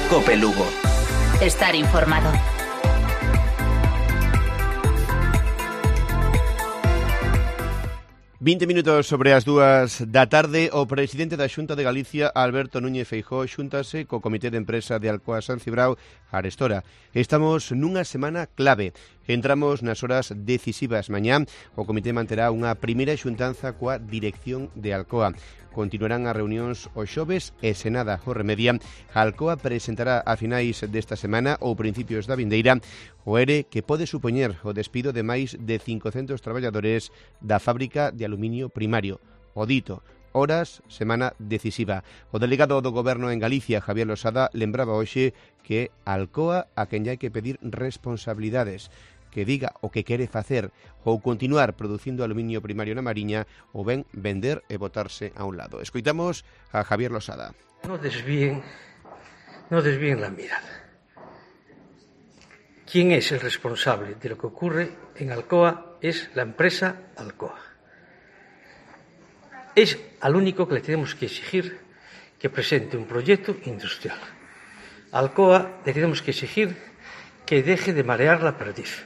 Cope Lugo. Estar informado. ...20 minutos sobre as 2 da tarde... ...o presidente da Xunta de Galicia, Alberto Núñez Feijóo, xúntase co Comité de Empresa de Alcoa San Cibrao arestora. Estamos nunha semana clave. Entramos nas horas decisivas mañá. O comité manterá unha primeira xuntanza coa dirección de Alcoa. Continuarán as reunións os xoves e, se nada o remedia, Alcoa presentará a finais desta semana ou principios da vindeira o ERE que pode supoñer o despido de máis de 500 traballadores da fábrica de aluminio primario. O dito, horas, semana decisiva. O delegado do Goberno en Galicia, Javier Losada, lembraba hoxe que Alcoa a quen hai que pedir responsabilidades, que diga o que quere facer ou continuar producindo aluminio primario na Mariña ou ben vender e botarse a un lado. Escoitamos a Javier Losada. No desvíen la mirada. ¿Quién es el responsable de lo que ocurre en Alcoa? Es la empresa Alcoa. Es al único que le tenemos que exigir que presente un proyecto industrial. A Alcoa le tenemos que exigir que deje de marear la perdiz.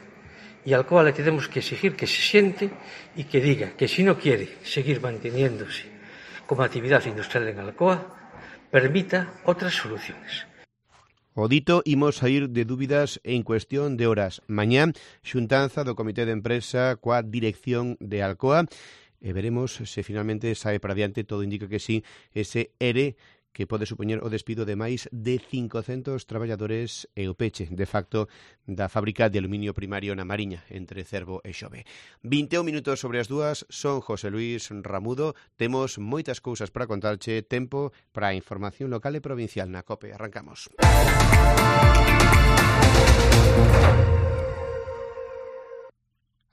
Y a Alcoa le tenemos que exigir que se siente y que diga que si no quiere seguir manteniéndose como actividad industrial en Alcoa, permita otras soluciones. O dito, imos sair de dúbidas en cuestión de horas. Mañá, xuntanza do Comité de Empresa coa dirección de Alcoa e veremos se finalmente sae para diante. Todo indica que sí, ese ERE que pode supoñer o despido de máis de 500 traballadores e o peche, de facto, da fábrica de aluminio primario na Mariña, entre Cervo e Xove. 21 minutos sobre as 2, son José Luis Ramudo. Temos moitas cousas para contarche, tempo para a información local e provincial na COPE. Arrancamos.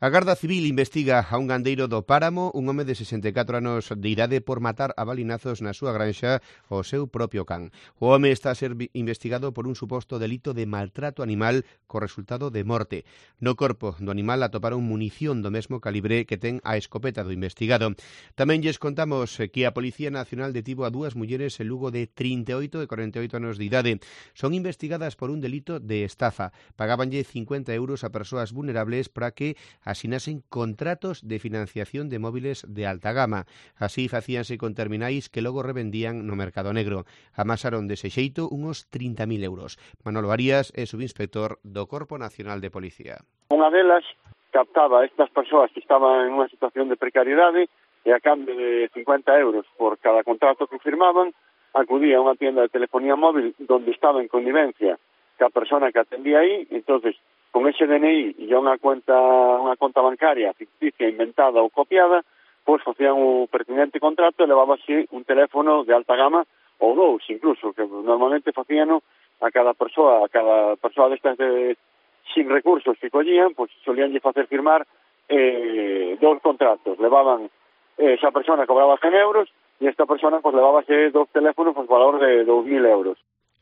A Garda Civil investiga a un gandeiro do Páramo, un home de 64 anos de idade, por matar a balinazos na súa granxa o seu propio can. O home está a ser investigado por un suposto delito de maltrato animal co resultado de morte. No corpo do animal atoparon munición do mesmo calibre que ten a escopeta do investigado. Tamén lles contamos que a Policía Nacional detivo a 2 mulleres en Lugo de 38 e 48 anos de idade. Son investigadas por un delito de estafa. Pagábanlle 50 euros a persoas vulnerables para que asinasen contratos de financiación de móviles de alta gama. Así facíanse con terminais que logo revendían no mercado negro. Amasaron dese xeito unos 30.000 euros. Manolo Arias é subinspector do Corpo Nacional de Policía. Unha delas captaba a estas persoas que estaban en unha situación de precariedade e a cambio de 50 euros por cada contrato que firmaban, acudía a unha tienda de telefonía móvil donde estaba en connivencia ca persona que atendía aí. Entonces, con ese DNI e unha conta bancaria ficticia, inventada ou copiada, pois facían o pertinente contrato e levábase un teléfono de alta gama ou 2, incluso, que normalmente facían a cada persoa destas sin recursos que collían, pois solíanlle facer firmar 2 contratos. Levaban, esa persona cobraba 100 euros e esta persona pois levábase 2 teléfonos por valor de 2.000 euros.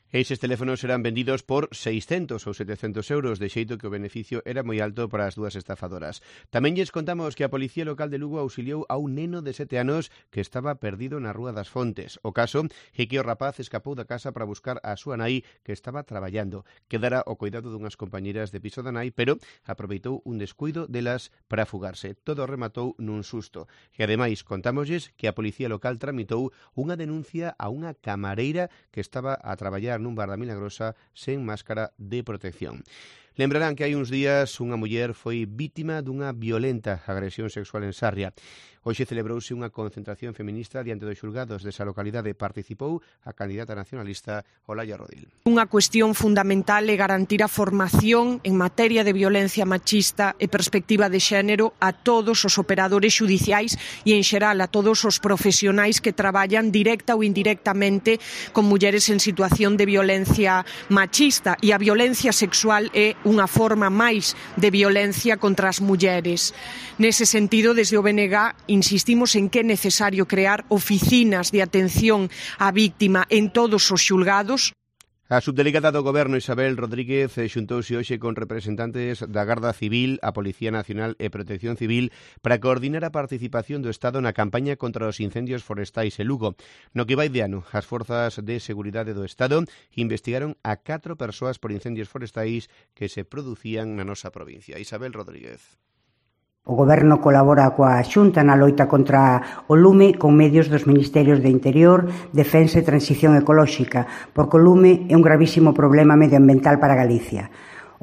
Eses teléfonos eran vendidos por 600 ou 700 euros, de xeito que o beneficio era moi alto para as 2 estafadoras. Tamén lles contamos que a Policía Local de Lugo auxiliou a un neno de 7 anos que estaba perdido na Rúa das Fontes. O caso é que o rapaz escapou da casa para buscar a súa nai, que estaba traballando. Quedara ao cuidado dunhas compañeras de piso da nai, pero aproveitou un descuido delas para fugarse. Todo rematou nun susto. E ademais contámoslles que a Policía Local tramitou unha denuncia a unha camareira que estaba a traballar nun bar da Milagrosa sen máscara de protección. Lembrarán que hai uns días unha muller foi vítima dunha violenta agresión sexual en Sarria. Hoxe celebrouse unha concentración feminista diante dos xulgados desa localidade. Participou a candidata nacionalista Olaya Rodil. Unha cuestión fundamental é garantir a formación en materia de violencia machista e perspectiva de xénero a todos os operadores xudiciais e, en xeral, a todos os profesionais que traballan directa ou indirectamente con mulleres en situación de violencia machista. E a violencia sexual é unha forma máis de violencia contra as mulleres. Nese sentido, desde o BNG insistimos en que é necesario crear oficinas de atención á víctima en todos os xulgados. A subdelegada do Goberno Isabel Rodríguez xuntouse hoxe con representantes da Garda Civil, a Policía Nacional e Protección Civil para coordinar a participación do Estado na campaña contra os incendios forestais en Lugo. No que vai de ano, as forzas de seguridade do Estado investigaron a 4 persoas por incendios forestais que se producían na nosa provincia. Isabel Rodríguez. O Goberno colabora coa Xunta na loita contra o lume con medios dos Ministerios de Interior, Defensa e Transición Ecolóxica, porque o lume é un gravísimo problema medioambiental para Galicia.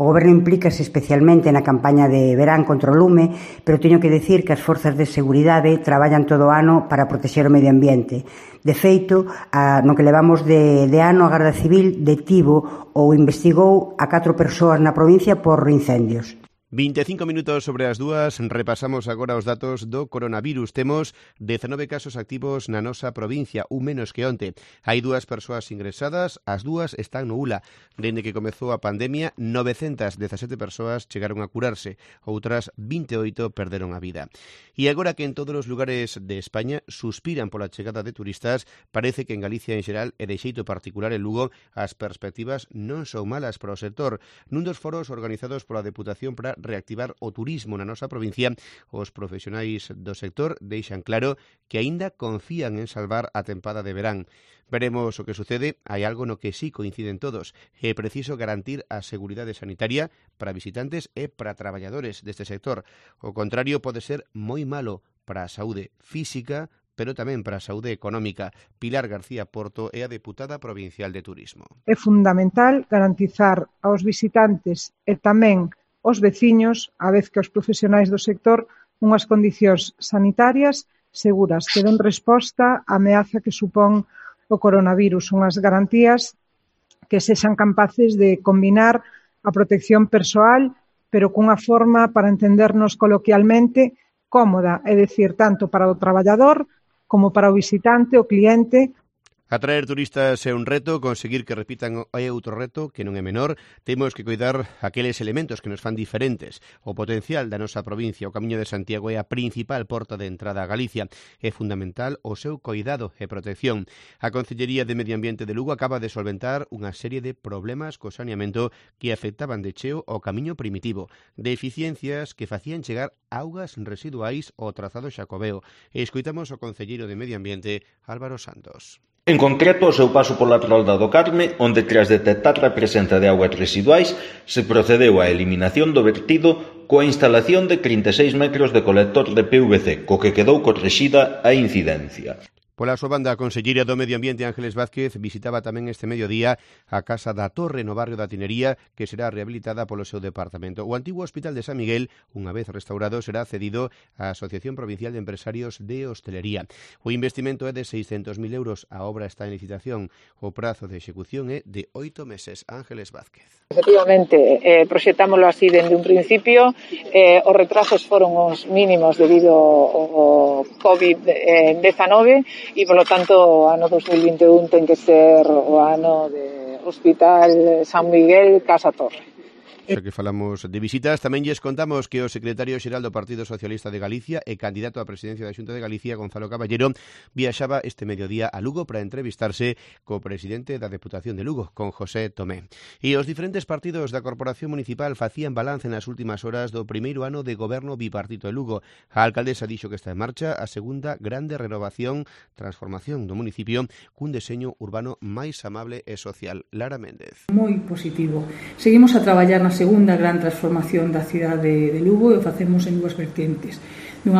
O Goberno implícase especialmente na campaña de verán contra o lume, pero teño que decir que as forzas de seguridade traballan todo o ano para protexer o medio ambiente. De feito, no que levamos de ano, a Garda Civil detivo ou investigou a 4 persoas na provincia por incendios. 25 minutos sobre as 2, repasamos agora os datos do coronavirus. Temos 19 casos activos na nosa provincia, un menos que onte. Hai 2 persoas ingresadas, as 2 están no ULA. Dende que comezou a pandemia, 917 persoas chegaron a curarse, outras 28 perderon a vida. E agora que en todos os lugares de España suspiran pola chegada de turistas, parece que en Galicia en xeral e de xeito particular en Lugo as perspectivas non son malas para o sector. Nun dos foros organizados pola Deputación para reactivar o turismo na nosa provincia, os profesionais do sector deixan claro que aínda confían en salvar a tempada de verán. Veremos o que sucede. Hai algo no que sí coinciden todos. É preciso garantir a seguridade sanitaria para visitantes e para traballadores deste sector. O contrario pode ser moi malo para a saúde física, pero tamén para a saúde económica. Pilar García Porto é a deputada provincial de Turismo. É fundamental garantizar aos visitantes e tamén os veciños, a vez que os profesionais do sector, unhas condicións sanitarias seguras que den resposta á ameaza que supón o coronavirus, unhas garantías que sexan capaces de combinar a protección persoal, pero cunha forma, para entendernos coloquialmente, cómoda, é dicir, tanto para o traballador como para o visitante, o cliente. Atraer turistas é un reto, conseguir que repitan é outro reto que non é menor. Temos que cuidar aqueles elementos que nos fan diferentes. O potencial da nosa provincia, o Camiño de Santiago é a principal porta de entrada a Galicia. É fundamental o seu cuidado e protección. A Concellería de Medio Ambiente de Lugo acaba de solventar unha serie de problemas co saneamento que afectaban de cheo ao camiño primitivo. Deficiencias que facían chegar augas residuais ao trazado xacobeo. E escoitamos o concelleiro de Medio Ambiente, Álvaro Santos. En concreto, o seu paso pola Rolda do Carme, onde tras detectar a presenza de augas residuais, se procedeu á eliminación do vertido coa instalación de 36 metros de colector de PVC, co que quedou corrixida a incidencia. Pola súa banda, a conselleira do Medio Ambiente Ángeles Vázquez visitaba tamén este mediodía a Casa da Torre no barrio da Tinería, que será rehabilitada polo seu departamento. O antigo Hospital de San Miguel, unha vez restaurado, será cedido á Asociación Provincial de Empresarios de Hostelería. O investimento é de 600.000 euros, a obra está en licitación. O prazo de execución é de 8 meses. Ángeles Vázquez. Efectivamente, proxectámoslo así dende un principio. Os retrasos foron os mínimos debido ao COVID-19 e, polo tanto, o ano 2021 ten que ser o ano de Hospital San Miguel Casa Torre. Xa que falamos de visitas, tamén lles contamos que o secretario xeral do Partido Socialista de Galicia e candidato á presidencia da Xunta de Galicia, Gonzalo Caballero, viaxaba este mediodía a Lugo para entrevistarse co presidente da Deputación de Lugo, con José Tomé. E os diferentes partidos da Corporación Municipal facían balance nas últimas horas do primeiro ano de goberno bipartito de Lugo. A alcaldesa dixo que está en marcha a segunda grande renovación, transformación do municipio cun deseño urbano máis amable e social. Lara Méndez. Moi positivo. Seguimos a traballar nas segunda gran transformación da cidade de Lugo e o facemos en 2 vertentes. Dunha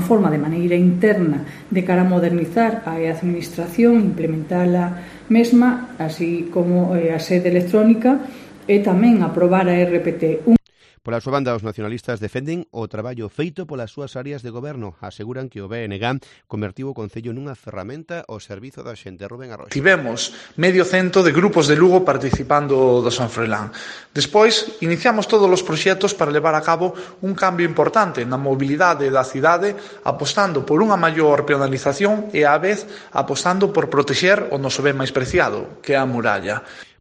forma de maneira interna de cara a modernizar a administración, implementar a mesma, así como a sede electrónica e tamén aprobar a RPT. Pola súa banda, os nacionalistas defenden o traballo feito polas súas áreas de goberno. Aseguran que o BNG convertiu o Concello nunha ferramenta ao servizo da xente. Rubén Arroxo. Tivemos medio cento de grupos de Lugo participando do San Froilán. Despois, iniciamos todos os proxectos para levar a cabo un cambio importante na mobilidade da cidade, apostando por unha maior peonalización e, á vez, apostando por protexer o noso ben máis preciado, que é a muralla.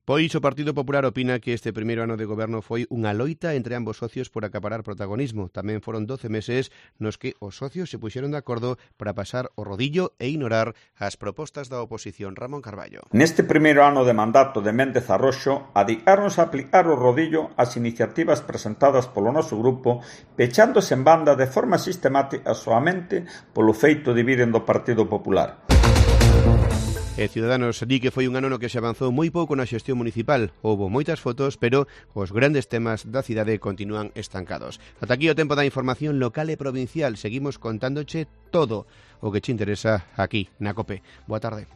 Pois o Partido Popular opina que este primeiro ano de goberno foi unha loita entre ambos socios por acaparar protagonismo. Tamén foron 12 meses nos que os socios se puxeron de acordo para pasar o rodillo e ignorar as propostas da oposición. Ramón Carballo. Neste primeiro ano de mandato de Méndez Arroxo, adicaronse a aplicar o rodillo ás iniciativas presentadas polo noso grupo, pechándose en banda de forma sistemática soamente polo feito de viren do Partido Popular. E Ciudadanos di que foi un ano no que se avanzou moi pouco na xestión municipal. Houbo moitas fotos, pero os grandes temas da cidade continúan estancados. Ata aquí o tempo da información local e provincial. Seguimos contándoche todo o que che interesa aquí na COPE. Boa tarde.